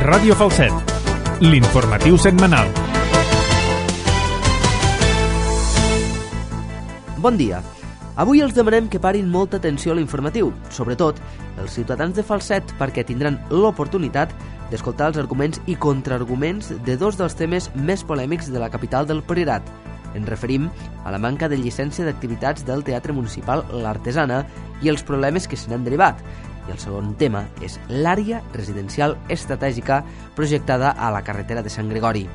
Ràdio Falset, l'informatiu setmanal. Bon dia. Avui els demanem que parin molta atenció a l'informatiu, sobretot els ciutadans de Falset, perquè tindran l'oportunitat d'escoltar els arguments i contraarguments de dos dels temes més polèmics de la capital del Priorat. Ens referim a la manca de llicència d'activitats del Teatre Municipal L'Artesana i els problemes que se n'han derivat. I el segon tema és l'àrea residencial estratègica projectada a la carretera de Sant Gregori.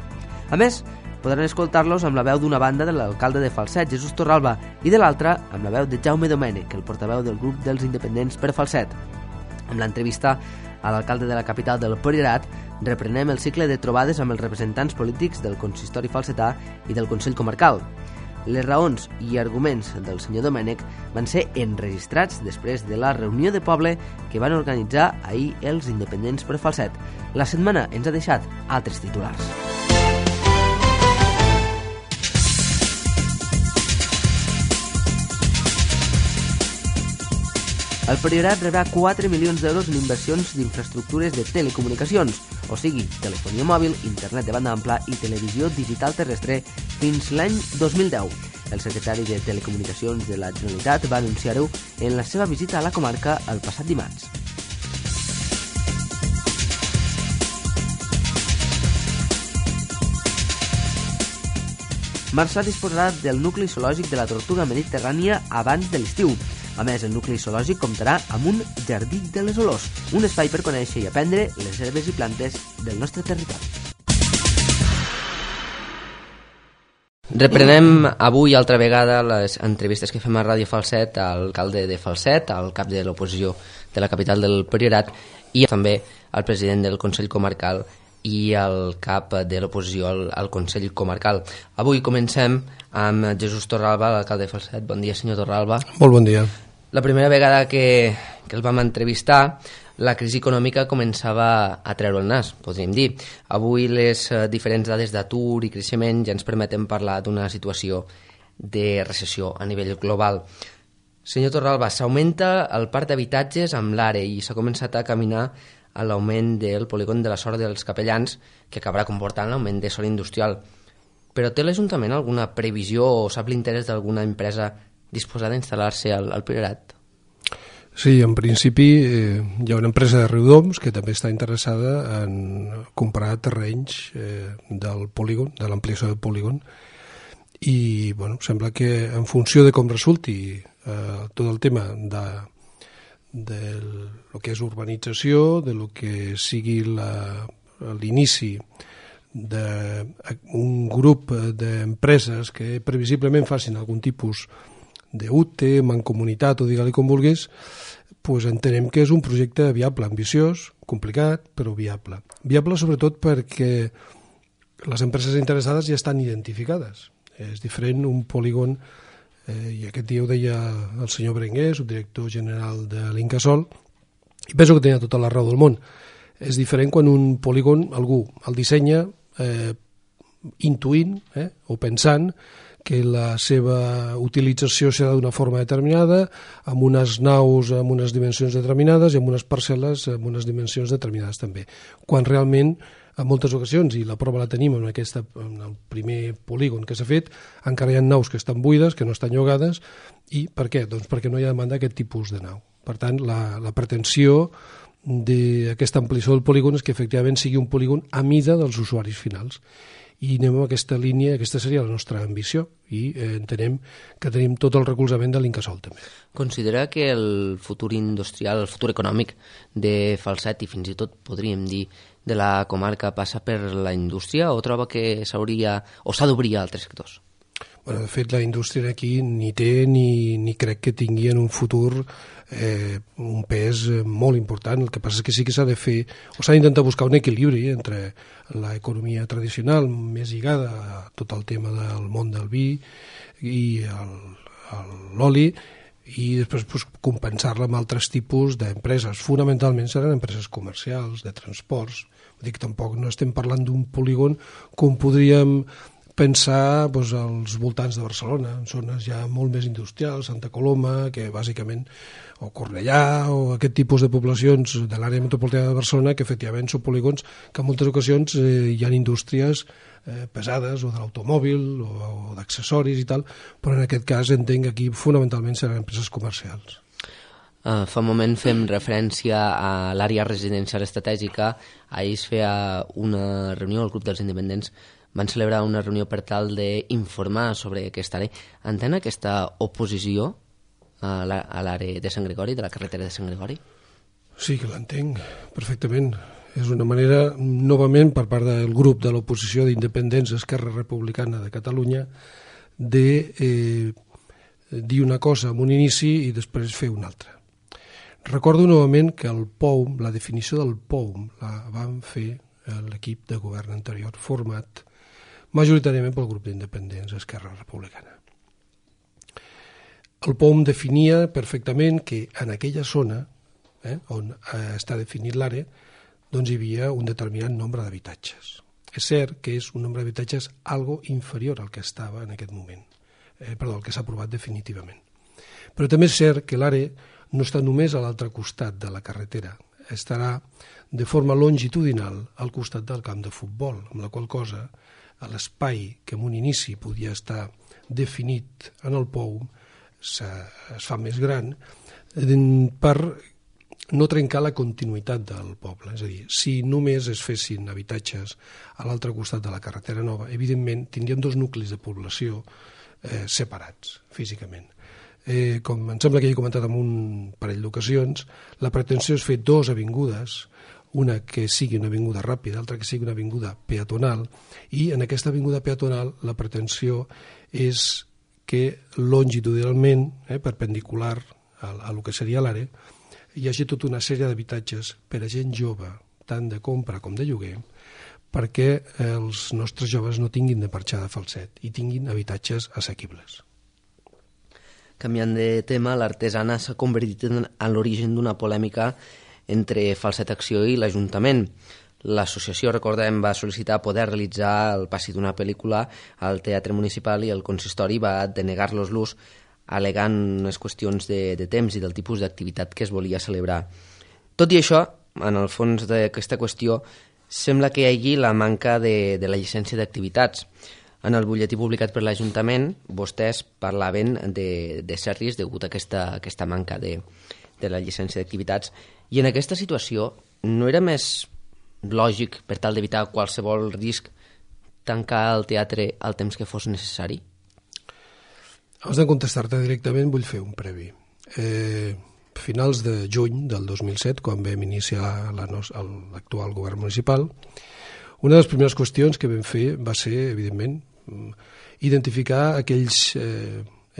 A més, podran escoltar-los amb la veu d'una banda de l'alcalde de Falset, Jesús Torralba, i de l'altra amb la veu de Jaume Domènech, el portaveu del grup dels independents per Falset. Amb l'entrevista a l'alcalde de la capital del Priorat, reprenem el cicle de trobades amb els representants polítics del consistori falsetà i del Consell Comarcal. Les raons i arguments del senyor Domènech van ser enregistrats després de la reunió de poble que van organitzar ahir els independents per Falset. La setmana ens ha deixat altres titulars. El Priorat rebrà 4 milions d'euros en inversions d'infraestructures de telecomunicacions, o sigui, telefonia mòbil, internet de banda ampla i televisió digital terrestre fins l'any 2010. El secretari de Telecomunicacions de la Generalitat va anunciar-ho en la seva visita a la comarca el passat dimarts. Marçà disposarà del nucli zoològic de la tortuga mediterrània abans de l'estiu. A més, el nucli zoològic comptarà amb un jardí de les olors, un espai per conèixer i aprendre les herbes i plantes del nostre territori. Reprenem avui altra vegada les entrevistes que fem a Ràdio Falset al alcalde de Falset, al cap de l'oposició de la capital del Priorat i també al president del Consell Comarcal i el cap de l'oposició al Consell Comarcal. Avui comencem amb Jesús Torralba, l'alcalde de Falset. Bon dia, senyor Torralba. Molt bon dia. La primera vegada que el vam entrevistar, la crisi econòmica començava a treure el nas, podríem dir. Avui les diferents dades d'atur i creixement ja ens permeten parlar d'una situació de recessió a nivell global. Senyor Torralba, s'augmenta el parc d'habitatges amb l'ARE i s'ha començat a caminar a l'augment del polígon de la Sora dels Capellans, que acabarà comportant l'augment de sòl industrial. Però té l'Ajuntament alguna previsió o sap l'interès d'alguna empresa disposada a instal·lar-se al Priorat? Sí, en principi hi ha una empresa de Riudoms que també està interessada en comprar terrenys del polígon, de l'ampliació del polígon, i bueno, sembla que en funció de com resulti tot el tema de lo que és urbanització, de lo que sigui l'inici d'un grup d'empreses que previsiblement facin algun tipus d'UTE, mancomunitat o digue-li com vulguis, doncs entenem que és un projecte viable, ambiciós, complicat, però viable. Viable sobretot perquè les empreses interessades ja estan identificades. És diferent un polígon, i aquest dia ho deia el senyor Berenguer, subdirector general de l'Incasòl, i penso que tenia tota la raó del món. És diferent quan un polígon algú el dissenya intuint o pensant que la seva utilització serà d'una forma determinada, amb unes naus amb unes dimensions determinades i amb unes parcel·les amb unes dimensions determinades també. Quan realment, en moltes ocasions, i la prova la tenim en el primer polígon que s'ha fet, encara hi ha naus que estan buides, que no estan llogades, i per què? Doncs perquè no hi ha demanda d'aquest tipus de nau. Per tant, la pretensió d'aquesta ampliació del polígon és que efectivament sigui un polígon a mida dels usuaris finals. I anem a aquesta línia, aquesta seria la nostra ambició, i entenem que tenim tot el recolzament de l'Incasòl també. Considera que el futur industrial, el futur econòmic de Falset, i fins i tot podríem dir de la comarca, passa per la indústria, o troba que s'hauria o s'ha d'obrir a altres sectors? Bueno, de fet, la indústria aquí ni té ni crec que tingui en un futur un pes molt important. El que passa és que sí que s'ha de fer, o s'ha d'intentar buscar un equilibri entre l'economia tradicional més lligada a tot el tema del món del vi i l'oli, i després compensar-la amb altres tipus d'empreses. Fonamentalment seran empreses comercials, de transports. Vull dir que tampoc no estem parlant d'un polígon com podríem pensar als voltants de Barcelona, en zones ja molt més industrials, Santa Coloma, que bàsicament, o Cornellà, o aquest tipus de poblacions de l'àrea metropolitana de Barcelona, que efectivament són polígons que en moltes ocasions hi ha indústries pesades, o de l'automòbil, o d'accessoris i tal, però en aquest cas entenc que aquí fonamentalment seran empreses comercials. Fa un moment fem referència a l'àrea residencial estratègica. Ahir es feia una reunió, el grup dels independents van celebrar una reunió per tal d'informar sobre aquesta àrea. Entén aquesta oposició a l'àrea de Sant Gregori, de la carretera de Sant Gregori? Sí que l'entenc perfectament. És una manera, novament, per part del grup de l'oposició d'independents Esquerra Republicana de Catalunya, de dir una cosa en un inici i després fer una altra. Recordo novament que el POUM, la definició del POUM, la van fer l'equip de govern anterior, format majoritàriament pel grup d'independents Esquerra Republicana. El POUM definia perfectament que en aquella zona, on està definit l'àrea, doncs hi havia un determinat nombre d'habitatges. És cert que és un nombre d'habitatges algo inferior al que estava en aquest moment, el que s'ha aprovat definitivament. Però també és cert que l'àrea no està només a l'altre costat de la carretera, estarà de forma longitudinal al costat del camp de futbol, amb la qual cosa l'espai que en un inici podia estar definit en el POUM es fa més gran per no trencar la continuïtat del poble. És a dir, si només es fessin habitatges a l'altre costat de la carretera nova, evidentment tindríem dos nuclis de població separats físicament. Com em sembla que he comentat en un parell d'ocasions, la pretensió és fer dues avingudes, una que sigui una avinguda ràpida, l'altra que sigui una avinguda peatonal, i en aquesta avinguda peatonal la pretensió és que longitudinalment, perpendicular a lo que seria l'àrea, hi hagi tota una sèrie d'habitatges per a gent jove, tant de compra com de lloguer, perquè els nostres joves no tinguin de marxar de Falset i tinguin habitatges assequibles. Canviant de tema, l'artesana s'ha convertit en l'origen d'una polèmica entre Falset Acció i l'Ajuntament. L'associació, recordem, va sol·licitar poder realitzar el passi d'una pel·lícula al Teatre Municipal i el consistori va denegar-los l'ús al·legant unes qüestions de temps i del tipus d'activitat que es volia celebrar. Tot i això, en el fons d'aquesta qüestió, sembla que hi hagi la manca de la llicència d'activitats. En el butlletí publicat per l'Ajuntament, vostès parlaven de cert risc degut a aquesta manca de la llicència d'activitats. I en aquesta situació, no era més lògic, per tal d'evitar qualsevol risc, tancar el teatre al temps que fos necessari? Abans de contestar-te directament vull fer un previ. Finals de juny del 2007, quan vam iniciar l'actual govern municipal, una de les primeres qüestions que vam fer va ser, evidentment, identificar aquells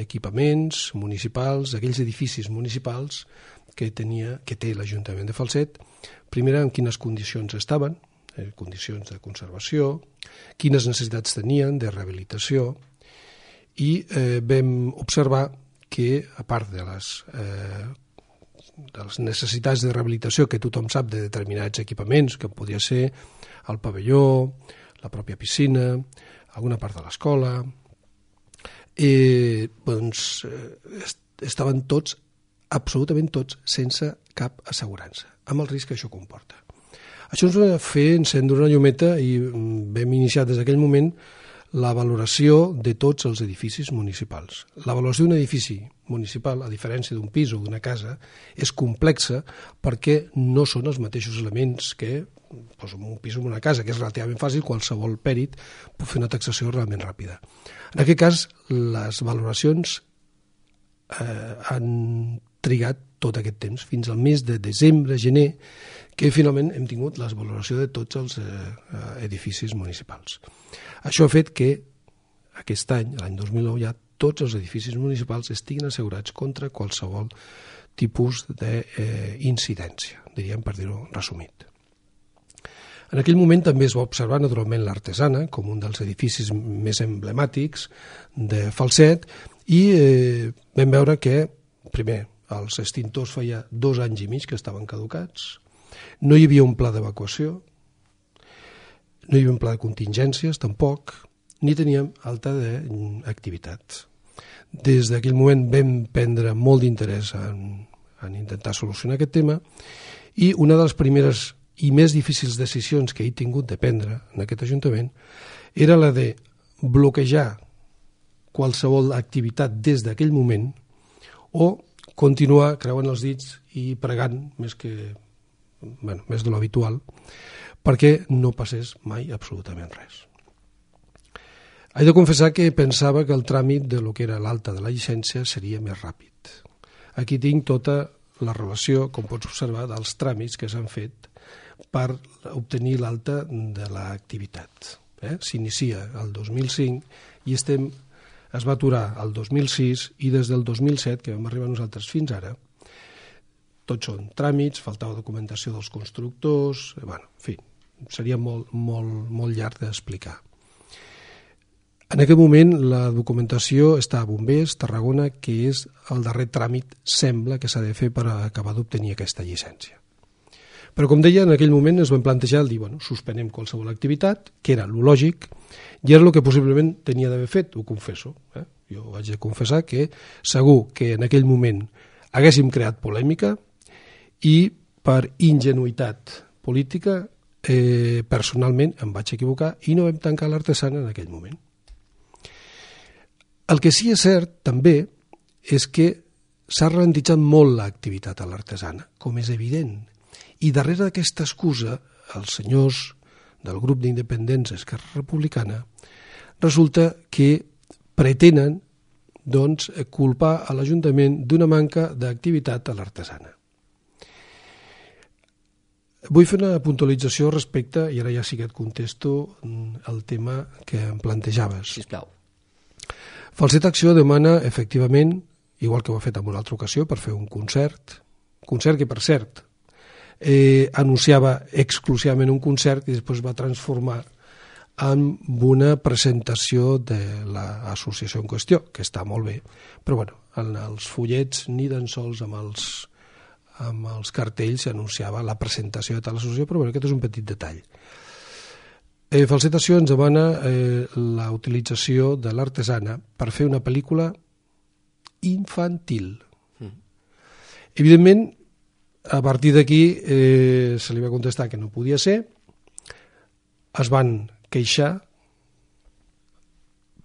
equipaments municipals, aquells edificis municipals que té l'Ajuntament de Falset, primer en quines condicions estaven, condicions de conservació, quines necessitats tenien de rehabilitació, i vam observar que, a part de les necessitats de rehabilitació que tothom sap de determinats equipaments, que podria ser el pavelló, la pròpia piscina, alguna part de l'escola, estaven tots, absolutament tots, sense cap assegurança, amb el risc que això comporta. Això ens va fer encendre una llumeta i vam iniciar des d'aquell moment la valoració de tots els edificis municipals. La valoració d'un edifici municipal, a diferència d'un pis o d'una casa, és complexa perquè no són els mateixos elements que un pis o una casa, que és relativament fàcil, qualsevol pèrit pot fer una taxació realment ràpida. En aquest cas, les valoracions han trigat tot aquest temps, fins al mes de desembre, gener, que finalment hem tingut la valoració de tots els edificis municipals. Això ha fet que aquest any, l'any 2009, ja tots els edificis municipals estiguin assegurats contra qualsevol tipus d'incidència, diríem, per dir-ho resumit. En aquell moment també es va observar naturalment l'Artesana com un dels edificis més emblemàtics de Falset i vam veure que, primer, els extintors feia 2 anys i mig que estaven caducats, no hi havia un pla d'evacuació, no hi havia un pla de contingències tampoc, ni teníem alta d'activitat. Des d'aquell moment vam prendre molt d'interès en intentar solucionar aquest tema, i una de les primeres i més difícils decisions que he tingut de prendre en aquest Ajuntament era la de bloquejar qualsevol activitat des d'aquell moment o continuar creuant els dits i pregant més de l'habitual perquè no passés mai absolutament res. He de confessar que pensava que el tràmit de lo que era l'alta de la llicència seria més ràpid. Aquí tinc tota la relació, com pots observar, dels tràmits que s'han fet per obtenir l'alta de l'activitat. S'inicia el 2005 i es va aturar el 2006 i des del 2007, que vam arribar nosaltres fins ara, tots són tràmits, faltava documentació dels constructors, en fi, seria molt llarg d'explicar. En aquest moment la documentació està a Bombers, Tarragona, que és el darrer tràmit, sembla que s'ha de fer per acabar d'obtenir aquesta llicència. Però, com deia, en aquell moment es van plantejar el dir, suspenem qualsevol activitat, que era lo lògic, i era el que possiblement tenia d'haver fet, ho confesso. Jo vaig de confessar que segur que en aquell moment haguéssim creat polèmica i per ingenuïtat política personalment em vaig equivocar i no vam tancar l'artesana en aquell moment. El que sí és cert, també, és que s'ha ralentitzat molt l'activitat a l'artesana, com és evident. I darrere d'aquesta excusa, els senyors del grup d'independents Esquerra Republicana resulta que pretenen culpar a l'Ajuntament d'una manca d'activitat a l'artesana. Vull fer una puntualització respecte, i ara ja sí que et contesto, el tema que em plantejaves. Sisplau. Falset Acció demana, efectivament, igual que ho ha fet en una altra ocasió, per fer un concert que, per cert, anunciava exclusivament un concert i després va transformar en una presentació de l'associació en qüestió, que està molt bé, però en els fullets ni tan sols amb els cartells s'anunciava la presentació de tal associació, però aquest és un petit detall. Falset Acció ens demana la utilització de l'artesana per fer una pel·lícula infantil. Evidentment, a partir d'aquí se li va contestar que no podia ser, es van queixar,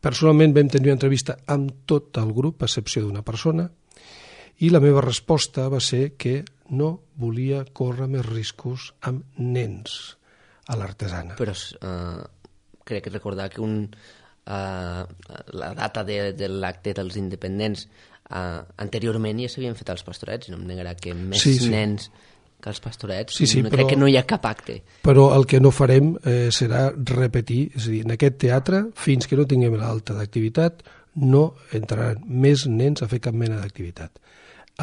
personalment vam tenir una entrevista amb tot el grup, a excepció d'una persona, i la meva resposta va ser que no volia córrer més riscos amb nens a l'artesana. Però crec recordar que la data de l'acte dels independents anteriorment ja s'havien fet els pastorets, no em negarà que més nens que els pastorets, crec que no hi ha cap acte. Però el que no farem serà repetir, és a dir, en aquest teatre, fins que no tinguem l'alta d'activitat, no entraran més nens a fer cap mena d'activitat.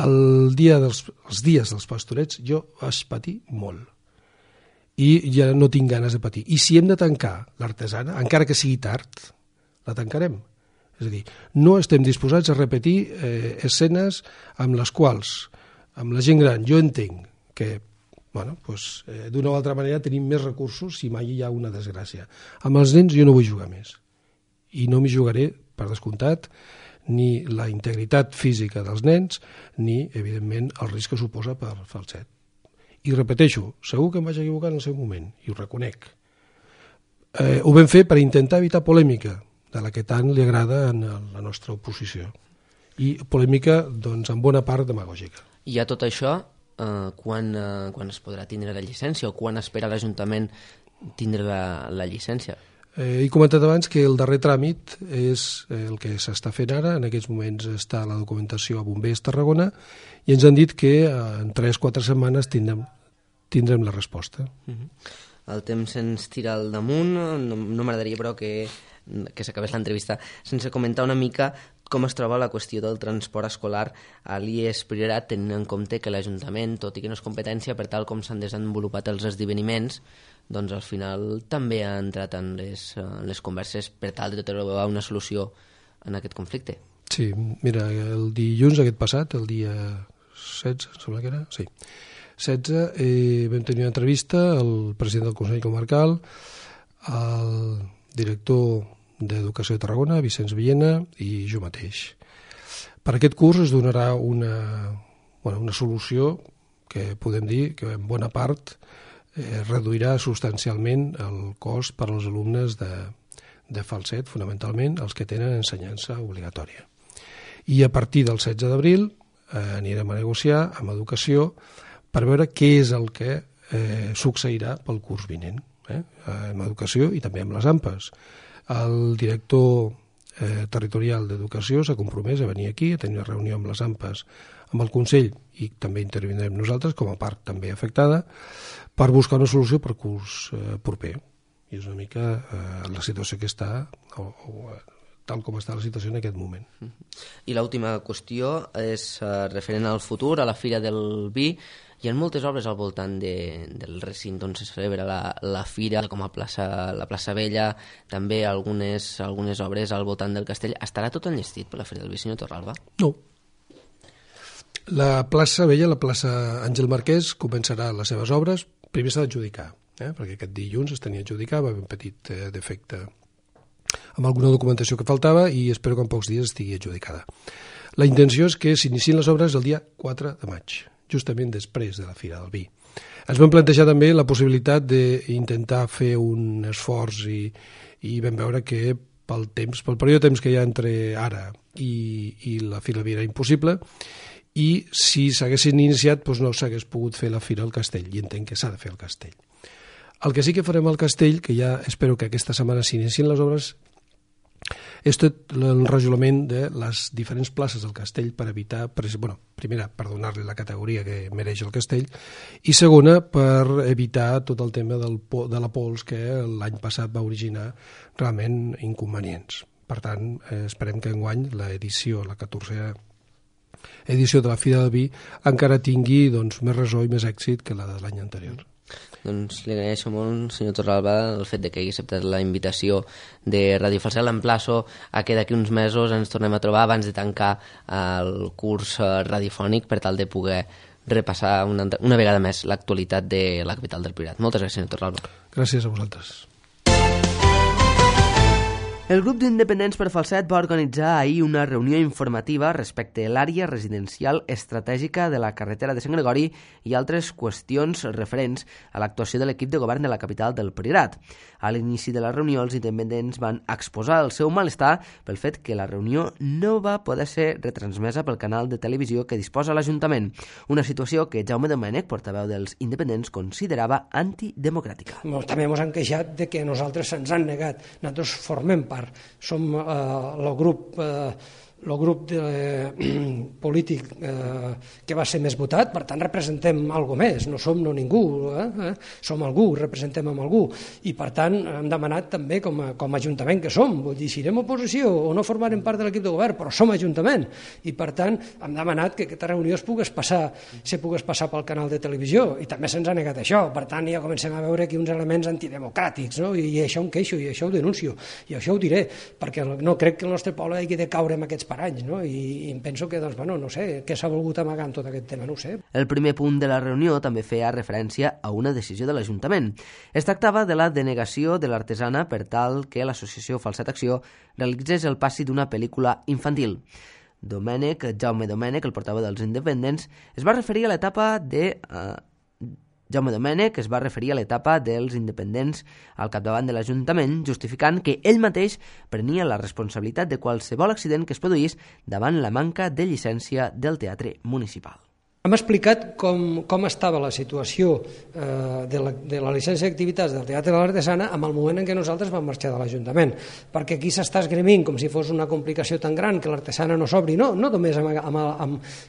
Els dies dels pastorets jo vaig patir molt i ja no tinc ganes de patir. I si hem de tancar l'artesana, encara que sigui tard, la tancarem. És a dir, no estem disposats a repetir escenes amb les quals, amb la gent gran, jo entenc que d'una o altra manera tenim més recursos si mai hi ha una desgràcia. Amb els nens jo no vull jugar més. I no m'hi jugaré, per descomptat, ni la integritat física dels nens, ni, evidentment, el risc que suposa per falset. I repeteixo, segur que em vaig equivocar en el seu moment, i ho reconec. Ho vam fer per intentar evitar polèmica, de la que tant li agrada a la nostra oposició. I polèmica, en bona part, demagògica. I a tot això, quan es podrà tindre la llicència o quan espera l'Ajuntament tindre la llicència? He comentat abans que el darrer tràmit és el que s'està fent ara. En aquests moments està la documentació a Bombers Tarragona i ens han dit que en 3-4 setmanes tindrem la resposta. El temps ens tira al damunt. No m'agradaria, però, que s'acabés l'entrevista sense comentar una mica com es troba la qüestió del transport escolar a l'IES Priorat, tenint en compte que l'Ajuntament, tot i que no és competència, per tal com s'han desenvolupat els esdeveniments, doncs al final també ha entrat en les converses per tal de trobar una solució en aquest conflicte. Sí, mira, el dilluns aquest passat, el dia 16, em sembla que era, sí, 16, vam tenir una entrevista al president del Consell Comarcal, al director d'Educació de Tarragona, Vicenç Villena i jo mateix. Per aquest curs es donarà una solució que podem dir que en bona part reduirà substancialment el cost per als alumnes de falset, fonamentalment els que tenen ensenyança obligatòria. I a partir del 16 d'abril anirem a negociar amb Educació per veure què és el que succeirà pel curs vinent, amb Educació i també amb les AMPAs. El director territorial d'Educació s'ha compromès a venir aquí, a tenir una reunió amb les AMPAs, amb el Consell, i també intervindrem nosaltres com a part també afectada, per buscar una solució per curs proper. I és una mica la situació que està, tal com està la situació en aquest moment. I l'última qüestió és referent al futur, a la Fira del Vi. Hi ha moltes obres al voltant del recinte on se celebra la Fira, com a la plaça Vella, també algunes obres al voltant del castell. Estarà tot enllestit per la Fira del Vi, senyor Torralba? No. La plaça Vella, la plaça Àngel Marquès, començarà les seves obres. Primer s'ha d'adjudicar, perquè aquest dilluns es tenia d'adjudicar, va haver un petit defecte amb alguna documentació que faltava i espero que en pocs dies estigui adjudicada. La intenció és que s'iniciïn les obres el dia 4 de maig, justament després de la Fira del Vi. Ens vam plantejar també la possibilitat d'intentar fer un esforç i vam veure que pel període de temps que hi ha entre ara i la Fira del Vi era impossible, i si s'haguessin iniciat doncs no s'hagués pogut fer la Fira al Castell, i entenc que s'ha de fer al Castell. El que sí que farem al Castell, que ja espero que aquesta setmana s'inicien les obres, és tot l'enrajolament de les diferents places del Castell per evitar, primera, per donar-li la categoria que mereix el Castell, i segona, per evitar tot el tema de la pols que l'any passat va originar realment inconvenients. Per tant, esperem que enguany l'edició, la 14a edició de la Fira del Vi, encara tingui més ressò i més èxit que la de l'any anterior. Doncs li agraeixo molt, senyor Torralba, el fet que hagi acceptat la invitació de Ràdio Falset. L'emplaço a que d'aquí uns mesos ens tornem a trobar abans de tancar el curs radiofònic per tal de poder repassar una vegada més l'actualitat de la capital del Priorat. Moltes gràcies, senyor Torralba. Gràcies a vosaltres. El grup d'independents per Falset va organitzar ahir una reunió informativa respecte a l'àrea residencial estratègica de la carretera de Sant Gregori i altres qüestions referents a l'actuació de l'equip de govern de la capital del Priorat. A l'inici de la reunió, els independents van exposar el seu malestar pel fet que la reunió no va poder ser retransmesa pel canal de televisió que disposa l'Ajuntament, una situació que Jaume Domènech, portaveu dels independents, considerava antidemocràtica. També ens han queixat de que nosaltres se'ns han negat. Nosaltres formem part, som el grup polític que va ser més votat, per tant representem algo més, no som ningú, som algú, representem amb algú, i per tant hem demanat també com a Ajuntament que som, vull dir, si serem oposició o no formarem part de l'equip de govern, però som Ajuntament, i per tant hem demanat que aquesta reunió se pogués passar pel canal de televisió, i també se'ns ha negat això, per tant ja comencem a veure aquí uns elements antidemocràtics, no? I això em queixo, i això ho denuncio, i això ho diré, perquè no crec que el nostre poble hagi de caure en aquests paranys, no? I em penso que, no sé, què s'ha volgut amagar en tot aquest tema, no ho sé. El primer punt de la reunió també feia referència a una decisió de l'Ajuntament. Es tractava de la denegació de l'artesana per tal que l'associació Falset Acció realitzés el passi d'una pel·lícula infantil. Jaume Domènech, el portaveu dels independents, es va referir a l'etapa dels independents al capdavant de l'Ajuntament, justificant que ell mateix prenia la responsabilitat de qualsevol accident que es produís davant la manca de llicència del teatre municipal. Hem explicat com estava la situació de la llicència d'activitats del Teatre de l'Artesana en el moment en què nosaltres vam marxar de l'Ajuntament, perquè aquí s'està esgrimint com si fos una complicació tan gran que l'Artesana no s'obri, no només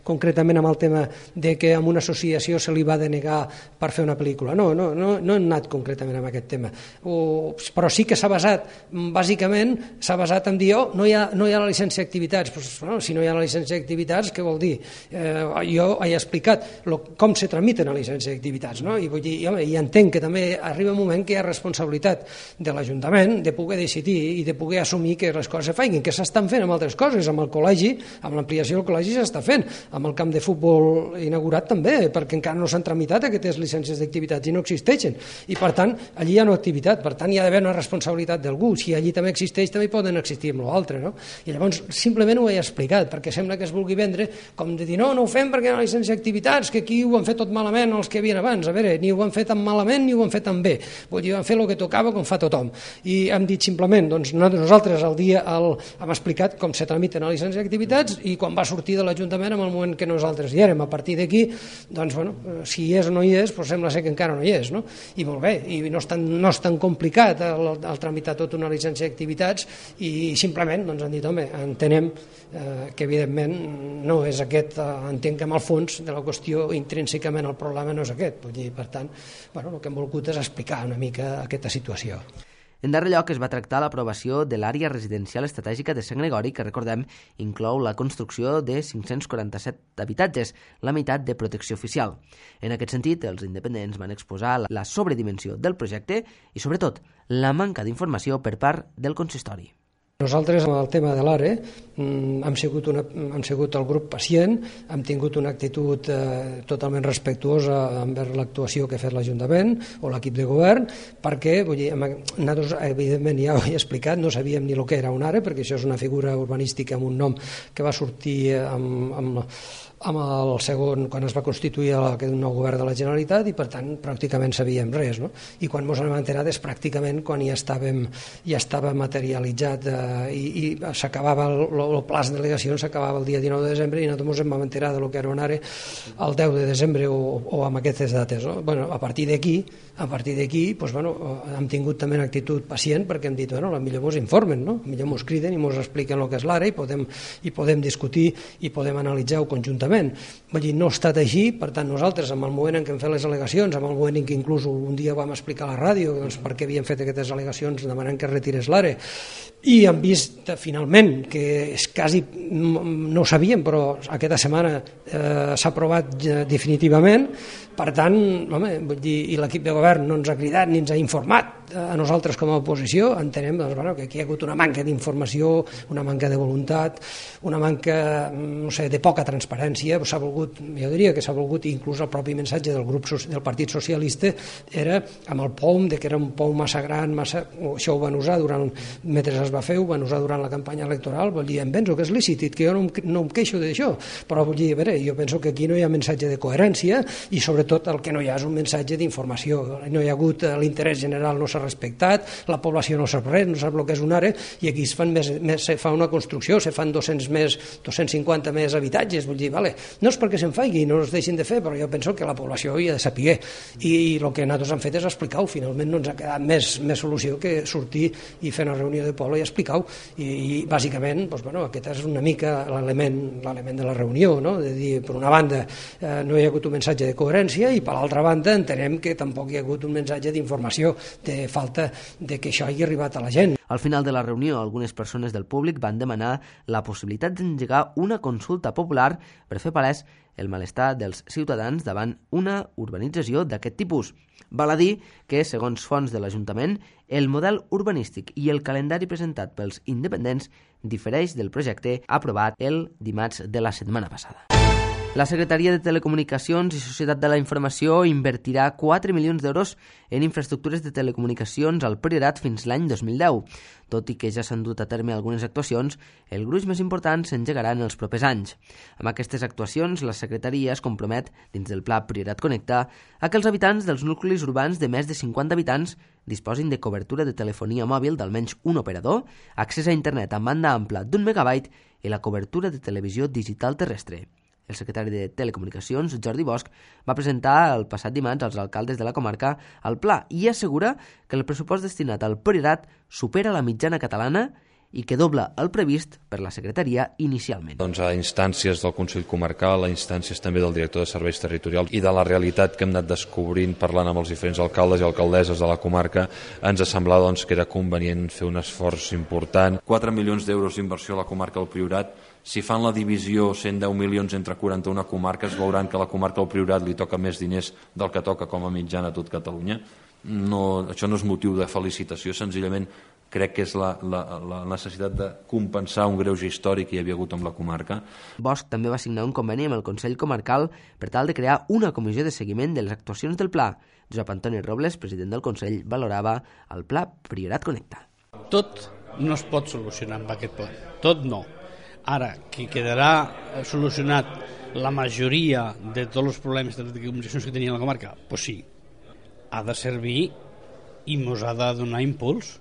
concretament amb el tema de que a una associació se li va denegar per fer una pel·lícula, no hem anat concretament amb aquest tema, però sí que s'ha basat, bàsicament s'ha basat en dir no hi ha la llicència d'activitats, si no hi ha la llicència d'activitats, què vol dir? Jo he explicat com se tramiten a llicència d'activitats, no? I vull dir, i entenc que també arriba un moment que hi ha responsabilitat de l'Ajuntament de poder decidir i de poder assumir que les coses se facin, que s'estan fent amb altres coses, amb el col·legi, amb l'ampliació del col·legi s'està fent, amb el camp de futbol inaugurat també, perquè encara no s'han tramitat aquestes llicències d'activitats i no existeixen, i per tant allí hi ha una activitat, per tant hi ha d'haver una responsabilitat d'algú, si allí també existeix també poden existir amb l'altre, no? I llavors simplement ho he explicat, perquè sembla que es vulgui vendre com de dir no ho fem perquè hi ha una llicència d'activitats, que aquí ho han fet tot malament els que havien abans. A veure, ni ho han fet tan malament ni ho han fet tan bé. Vull dir, han fet el que tocava com fa tothom. I hem dit simplement, doncs nosaltres hem explicat com se tramiten a la llicència d'activitats i quan va sortir de l'Ajuntament en el moment que nosaltres hi érem. A partir d'aquí, doncs, bueno, si hi és o no hi és, doncs sembla ser que encara no hi és, no? I molt bé, i no és tan complicat el tramitar tota una llicència d'activitats i simplement doncs, han dit, home, entenem que evidentment no és aquest, entenc que en el fons de la qüestió intrínsecament el problema no és aquest, vull dir, per tant, bueno, el que hem volgut és explicar una mica aquesta situació. En darrer lloc es va tractar l'aprovació de l'àrea residencial estratègica de Sant Gregori, que recordem inclou la construcció de 547 habitatges, la meitat de protecció oficial. En aquest sentit, els independents van exposar la sobredimensió del projecte i, sobretot, la manca d'informació per part del consistori. Nosaltres, amb el tema de l'ARE, hem sigut el grup pacient, hem tingut una actitud totalment respectuosa envers l'actuació que ha fet l'Ajuntament o l'equip de govern, perquè, vull dir, nosaltres, evidentment, ja ho he explicat, no sabíem ni el que era un ARE, perquè això és una figura urbanística amb un nom que va sortir amb el segon, quan es va constituir el nou govern de la Generalitat, i per tant pràcticament sabíem res, no? I quan ens hem enterat és pràcticament quan ja estava materialitzat i s'acabava el pla de delegacions, s'acabava el dia 19 de desembre i nosaltres ens vam enterar del que era un ARE el 10 de desembre o amb aquestes dates, no? Bueno, a partir d'aquí doncs, bueno, hem tingut també una actitud pacient perquè hem dit, bueno, millor ens informen, no? Millor ens criden i ens expliquen el que és l'ARE i podem discutir i podem analitzar-ho conjuntament. Vull dir, no ha estat així, per tant nosaltres en el moment en què hem fet les al·legacions, en el moment en què inclús un dia vam explicar a la ràdio doncs, per què havien fet aquestes al·legacions demanant que es retirés l'ARE, i hem vist finalment que és quasi, no ho sabíem, però aquesta setmana s'ha aprovat definitivament. Per tant, home, vull dir, i l'equip de govern no ens ha cridat ni ens ha informat a nosaltres com a oposició, entenem doncs, bueno, que aquí hi ha hagut una manca d'informació, una manca de voluntat, una manca, no sé, de poca transparència. S'ha volgut, jo diria que s'ha volgut, inclús el propi missatge del grup del Partit Socialista era amb el POUM, de que era un POUM massa gran, això ho van usar mentre es va fer, ho van usar durant la campanya electoral. Vull dir, em penso que és lícit, que jo no em queixo d'això, però vull dir, a veure, jo penso que aquí no hi ha missatge de coherència i sobretot el que no hi ha és un missatge d'informació. No hi ha hagut l'interès general, no s'ha respectat, la població no sap res, no sap el que és un ARE, i aquí se fa una construcció, se fan 250 més habitatges. Vull dir, vale, no és perquè se'n faci, no es deixin de fer, però jo penso que la població hi ha de saber, i el que nosaltres hem fet és explicar-ho. Finalment no ens ha quedat més solució que sortir i fer una reunió de poble i explicar-ho, i bàsicament doncs, bueno, aquest és una mica l'element de la reunió, no? De dir, per una banda no hi ha hagut un missatge de coherència i per l'altra banda entenem que tampoc hi ha hagut un missatge d'informació, de falta de que això hagi arribat a la gent. Al final de la reunió, algunes persones del públic van demanar la possibilitat d'engegar una consulta popular per fer palès el malestar dels ciutadans davant una urbanització d'aquest tipus. Val a dir que, segons fonts de l'Ajuntament, el model urbanístic i el calendari presentat pels independents difereix del projecte aprovat el dimarts de la setmana passada. La Secretaria de Telecomunicacions i Societat de la Informació invertirà 4 milions d'euros en infraestructures de telecomunicacions al Priorat fins l'any 2010. Tot i que ja s'han dut a terme algunes actuacions, el gruix més important s'engegarà en els propers anys. Amb aquestes actuacions, la Secretaria es compromet, dins del Pla Priorat Connecta, a que els habitants dels nuclis urbans de més de 50 habitants disposin de cobertura de telefonia mòbil d'almenys un operador, accés a internet amb banda ampla d'1 megabyte i la cobertura de televisió digital terrestre. El secretari de Telecomunicacions, Jordi Bosch, va presentar el passat dimarts als alcaldes de la comarca el pla i assegura que el pressupost destinat al Priorat supera la mitjana catalana i que dobla el previst per la secretaria inicialment. Doncs a instàncies del Consell Comarcal, a instàncies també del director de Serveis Territorials i de la realitat que hem anat descobrint parlant amb els diferents alcaldes i alcaldesses de la comarca, ens ha semblat doncs, que era convenient fer un esforç important. 4 milions d'euros d'inversió a la comarca del Priorat si fan la divisió 110 milions entre 41 comarques, veuran que a la comarca del Priorat li toca més diners del que toca com a mitjana a tot Catalunya. Això no és motiu de felicitació, senzillament crec que és la necessitat de compensar un greuge històric que hi havia hagut amb la comarca. Bosch també va signar un conveni amb el Consell Comarcal per tal de crear una comissió de seguiment de les actuacions del pla. Josep Antoni Robles, president del Consell, valorava el pla Priorat Connecta. Tot no es pot solucionar amb aquest pla, tot no. Ara, que quedarà solucionat la majoria de tots els problemes de les comunicacions que tenia la comarca, doncs sí, ha de servir i ens ha de donar impuls,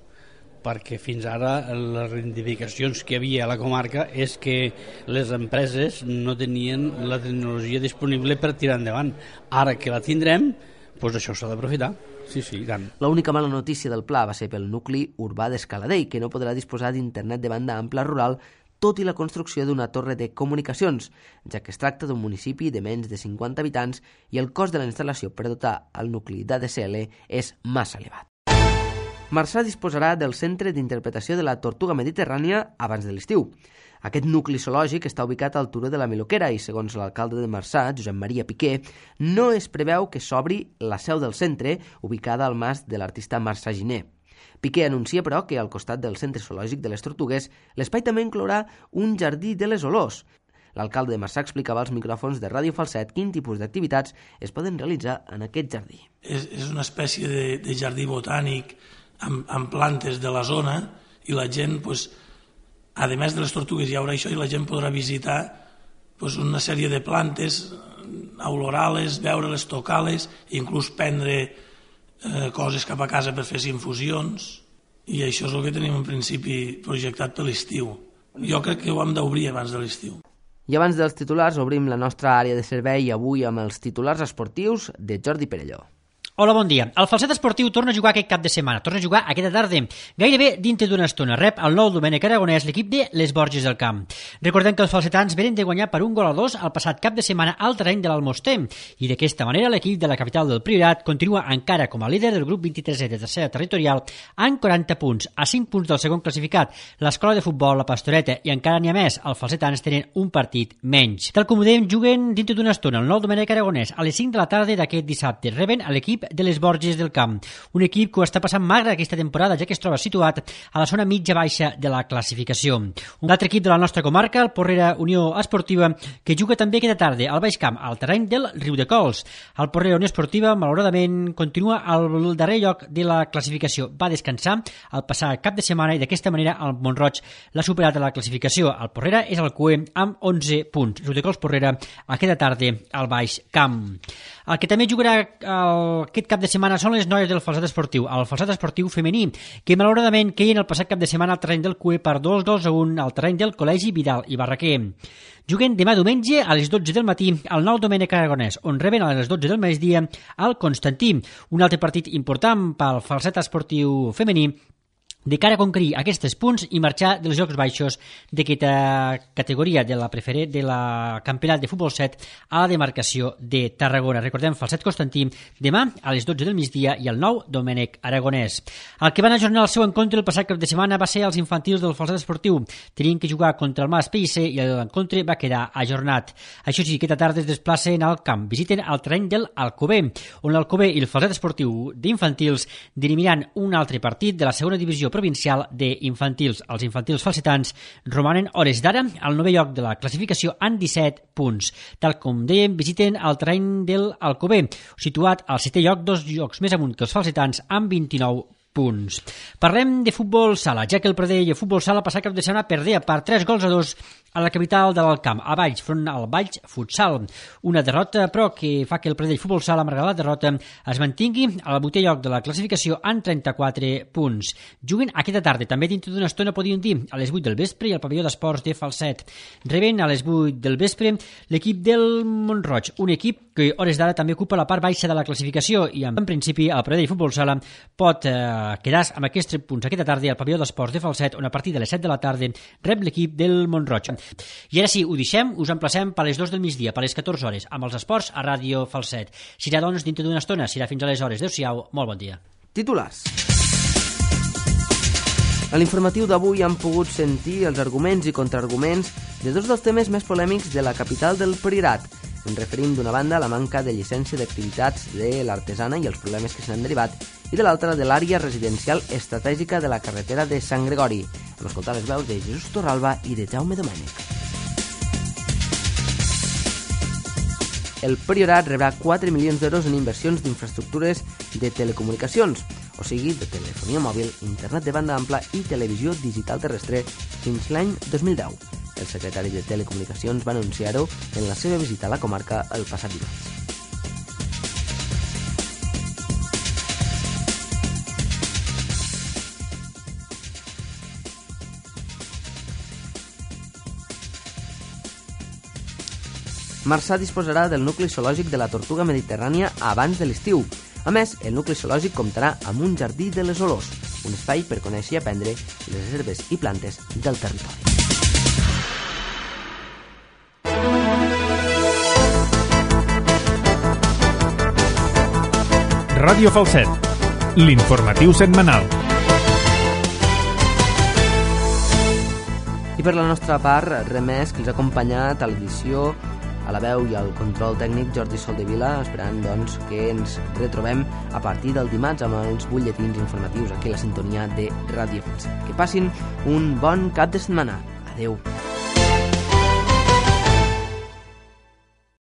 perquè fins ara les reivindicacions que hi havia a la comarca és que les empreses no tenien la tecnologia disponible per tirar endavant. Ara que la tindrem, doncs això s'ha d'aprofitar. Sí, i tant. L'única mala notícia del pla va ser pel nucli urbà d'Escaladell, que no podrà disposar d'internet de banda ampla rural, tot i la construcció d'una torre de comunicacions, ja que es tracta d'un municipi de menys de 50 habitants i el cost de la instal·lació per dotar el nucli d'ADSL és massa elevat. Marçà disposarà del Centre d'Interpretació de la Tortuga Mediterrània abans de l'estiu. Aquest nucli zoològic està ubicat al turó de la Miloquera i, segons l'alcalde de Marçà, Josep Maria Piqué, no es preveu que s'obri la seu del centre, ubicada al mas de l'artista Marçà Giner. Piqué anuncia, però, que al costat del Centre Zoològic de les Tortugues, l'espai també inclourà un jardí de les olors. L'alcalde de Marçà explicava als micròfons de Ràdio Falset quin tipus d'activitats es poden realitzar en aquest jardí. És una espècie de jardí botànic amb plantes de la zona i la gent, a més de les tortugues hi haurà això i la gent podrà visitar una sèrie de plantes, olorales, veure-les, tocar-les, inclús prendre coses cap a casa per fer infusions, i això és el que tenim en principi projectat per l'estiu. Jo crec que ho hem d'obrir abans de l'estiu. I abans dels titulars obrim la nostra àrea de servei avui amb els titulars esportius de Jordi Perelló. Hola, bon dia. El Falset Esportiu torna a jugar aquest cap de setmana, torna a jugar aquesta tarda. Gairebé dintre d'una estona rep el nou Domènec Aragonès l'equip de les Borges del Camp. Recordem que els falsetans venen de guanyar per 1-2 el passat cap de setmana al terreny de l'Almoster i d'aquesta manera l'equip de la capital del Priorat continua encara com a líder del grup 23è de tercera territorial amb 40 punts, a 5 punts del segon classificat, l'escola de futbol, la Pastoreta, i encara n'hi ha més, els falsetans tenen un partit menys. Tal com ho dèiem, juguen dintre d'una estona el nou Domènec Aragonès a les 5 de la tarda d'aquest dissabte. Reben a l'equip de les Borges del Camp, un equip que ho està passant magre aquesta temporada, ja que es troba situat a la zona mitja-baixa de la classificació. Un altre equip de la nostra comarca, el Porrera Unió Esportiva, que juga també aquesta tarda al Baix Camp, al terreny del Riudecols. El Porrera Unió Esportiva, malauradament, continua al darrer lloc de la classificació. Va descansar el passat cap de setmana i d'aquesta manera el Mont-roig l'ha superat a la classificació. El Porrera és el cué amb 11 punts. Riudecols Porrera aquesta tarda al Baix Camp. El que també jugarà aquest cap de setmana són les noies del Falset Esportiu, el Falset Esportiu femení, que malauradament queien el passat cap de setmana al terreny del CUE per 2-1 al terreny del Col·legi Vidal i Barraquer. Juguen demà diumenge a les 12 del matí al nou Domènec Aragonès, on reben a les 12 del migdia al Constantí, un altre partit important pel Falset Esportiu femení, de cara a conquerir aquests punts i marxar dels Jocs Baixos d'aquesta categoria de la campionat de futbol 7 a la demarcació de Tarragona. Recordem, Falset Constantí, demà a les 12 del migdia i el nou Domènec Aragonès. El que van ajornar el seu encontre el passat cap de setmana va ser els infantils del Falset Esportiu. Tenien que jugar contra el Mas Pellicer i l'encontre va quedar ajornat. Això sí, aquesta tarda es desplacen al camp, visiten el terreny del Alcover, on l'Alcover i el Falset Esportiu d'infantils dirimiran un altre partit de la segona divisió provincial d'infantils. Els infantils falsetans romanen hores d'ara al 9è lloc de la classificació amb 17 punts. Tal com dèiem, visiten el terreny del Alcover, situat al 7è lloc, 2 llocs més amunt que els falsetans amb 29 punts. Parlem de futbol sala, ja que el Pradell de futbol sala passat cap de setmana perdea per 3-2 a la capital de l'Alt Camp, a Valls, front al Valls Futsal. Una derrota, però, que fa que el Pradell futbol sala, malgrat la derrota, es mantingui al 8è lloc de la classificació amb 34 punts. Juguen aquesta tarda, també dintre d'una estona, podríem dir, a les 8 del vespre i al pavelló d'esports de Falset. Reben a les 8 del vespre l'equip del Mont-roig, un equip que hores d'ara també ocupa la part baixa de la classificació i en principi el Pradell futbol sala pot quedar amb aquests punts aquesta tarda al pavelló d'esports de Falset, on a partir de les 7 de la tarda rep l'equip del Mont-roig. I ara sí, ho deixem, us emplacem per les 2 del migdia, per les 14 hores, amb els esports a Ràdio Falset. Serà, doncs, dintre d'una estona, serà fins a les hores. Adéu-siau, molt bon dia. Titulars. A l'informatiu d'avui han pogut sentir els arguments i contraarguments de dos dels temes més polèmics de la capital del Priorat. Ens referim d'una banda a la manca de llicència d'activitats de l'artesana i els problemes que se n'han derivat, i de l'altra de l'àrea residencial estratègica de la carretera de Sant Gregori. Hem escoltat les veus de Jesús Torralba i de Jaume Domènech. El Priorat rebrà 4 milions d'euros en inversions d'infraestructures de telecomunicacions, o sigui, de telefonia mòbil, internet de banda ampla i televisió digital terrestre fins l'any 2010. El secretari de Telecomunicacions va anunciar-ho en la seva visita a la comarca el passat dimarts. Marçà disposarà del nucli zoològic de la tortuga mediterrània abans de l'estiu. A més, el nucli zoològic comptarà amb un jardí de les olors, un espai per conèixer i aprendre les herbes i plantes del territori. Ràdio Falset, l'informatiu setmanal. I per la nostra part, res més que els ha acompanyat a l'edició, a la veu i al control tècnic Jordi Soldevila, esperant doncs que ens retrobem a partir del dimarts amb els butlletins informatius aquí a la sintonia de Ràdio Falset. Que passin un bon cap de setmana. Adeu.